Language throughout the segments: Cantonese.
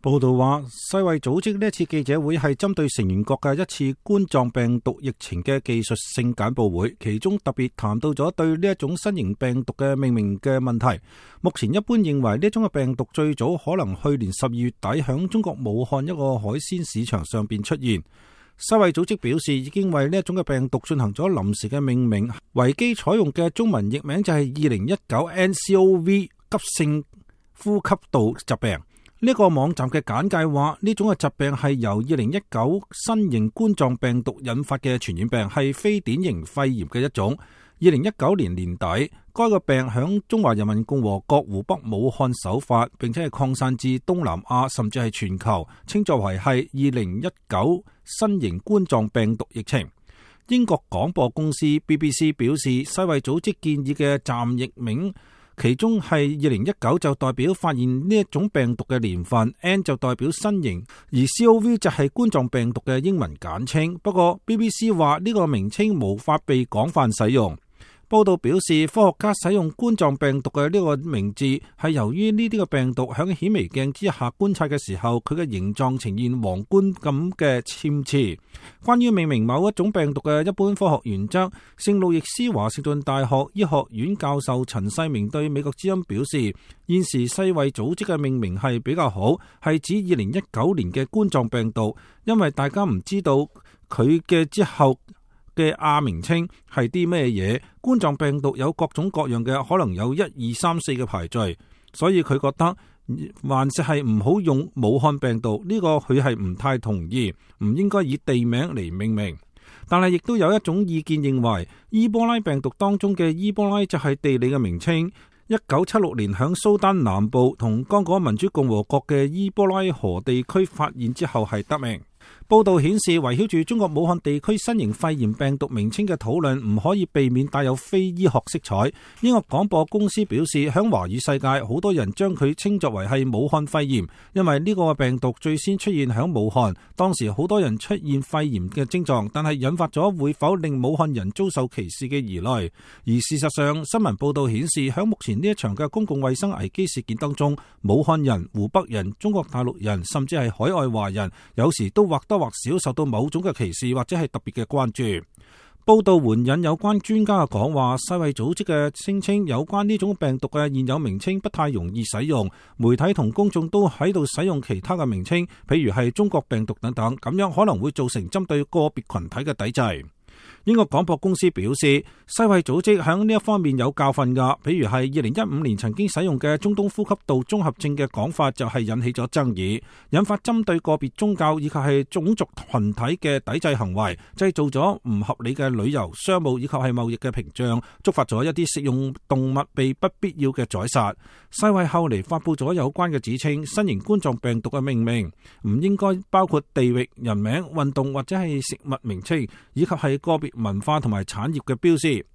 報道話，世衛組織呢一次記者會係針對成員國嘅一次冠狀病毒疫情嘅技術性簡報會，其中特別談到咗對呢一種新型病毒嘅命名嘅問題。目前一般認為呢種嘅病毒最早可能去年12月底響中國武漢一個海鮮市場上邊出現。世衛組織表示，已經為呢一種嘅病毒進行咗臨時嘅命名，維基採用嘅中文譯名就係2019 nCoV 急性呼吸道疾病。呢個網站嘅簡介話，呢種嘅疾病係由2019新型冠狀病毒引發嘅傳染病，係非典型肺炎嘅一種。2019年年底，該個病響中華人民共和國湖北武漢首發，並且係擴散至東南亞，甚至係全球，稱作為係2019新型冠狀病毒疫情。英國廣播公司 BBC 表示，世衛組織建議嘅暫譯名，其中係2019就代表發現呢一種病毒嘅年份， N 就代表新型，而 CoV 就係冠狀病毒嘅英文簡稱。不過 BBC 話呢個名稱無法被廣泛使用。報道表示，科學家使用冠狀病毒嘅呢個名字係由於呢啲嘅病毒響顯微鏡之下觀察嘅時候，佢嘅形狀呈現皇冠咁嘅參差。關於命名某一種病毒嘅一般科學原則，聖路易斯華盛頓大學醫學院教授陳世明對美國之音表示，現時世衛組織嘅命名係比較好，係指2019年嘅冠狀病毒，因為大家唔知道佢嘅之後嘅亞名稱係啲咩嘢。冠狀病毒有各種各樣嘅，可能有1、2、3、4嘅排序，所以佢覺得還是係唔好用武漢病毒，呢個佢係唔太同意，唔應該以地名嚟命名。但係亦都有一種意見認為，伊波拉病毒當中嘅伊波拉就係地理嘅名稱。1976年響蘇丹南部同剛果民主共和國嘅伊波拉河地區發現之後係得名。報道顯示，圍繞住中國武漢地區新型肺炎病毒名稱嘅討論唔可以避免帶有非醫學色彩。英國廣播公司表示，響華語世界好多人將佢稱作為係武漢肺炎，因為呢個病毒最先出現響武漢，當時好多人出現肺炎嘅症狀，但係引發咗會否令武漢人遭受歧視嘅疑慮。而事實上，新聞報道顯示，響目前呢一場嘅公共衛生危機事件當中，武漢人、湖北人、中國大陸人，甚至係海外華人，有時都或多或少受到某種嘅歧視或者係特別嘅關注。報道援引有關專家嘅講話，世衛組織嘅聲稱有關呢種病毒嘅現有名稱不太容易使用，媒體同公眾都喺度使用其他嘅名稱，譬如係中國病毒等等，咁樣可能會造成針對個別群體嘅抵制。英國廣播公司表示，世衛組織喺呢一方面有教訓㗎，譬如係2015年曾經使用嘅中東呼吸道綜合症嘅講法就係引起咗爭議，引發針對個別宗教以及係種族群體嘅抵制行為，製造咗唔合理嘅旅遊、商務以及係貿易嘅屏障，觸發咗一啲食用動物被不必要嘅宰殺。世衛後嚟發佈咗有關嘅指稱，新型冠狀病毒嘅命名唔應該包括地域、人名、運動或者係食物名稱，以及係個別文化同埋產業嘅標示。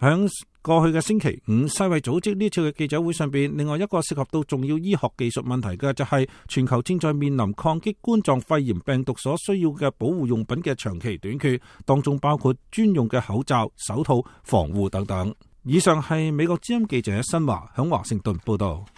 響過去嘅星期五，世衛組織呢次嘅記者會上邊，另外一個涉及到重要醫學技術問題嘅就係全球正在面臨抗擊冠狀肺炎病毒所需要嘅保護用品嘅長期短缺，當中包括專用嘅口罩、手套、防護等等。以上係美國之音記者新華響華盛頓報道。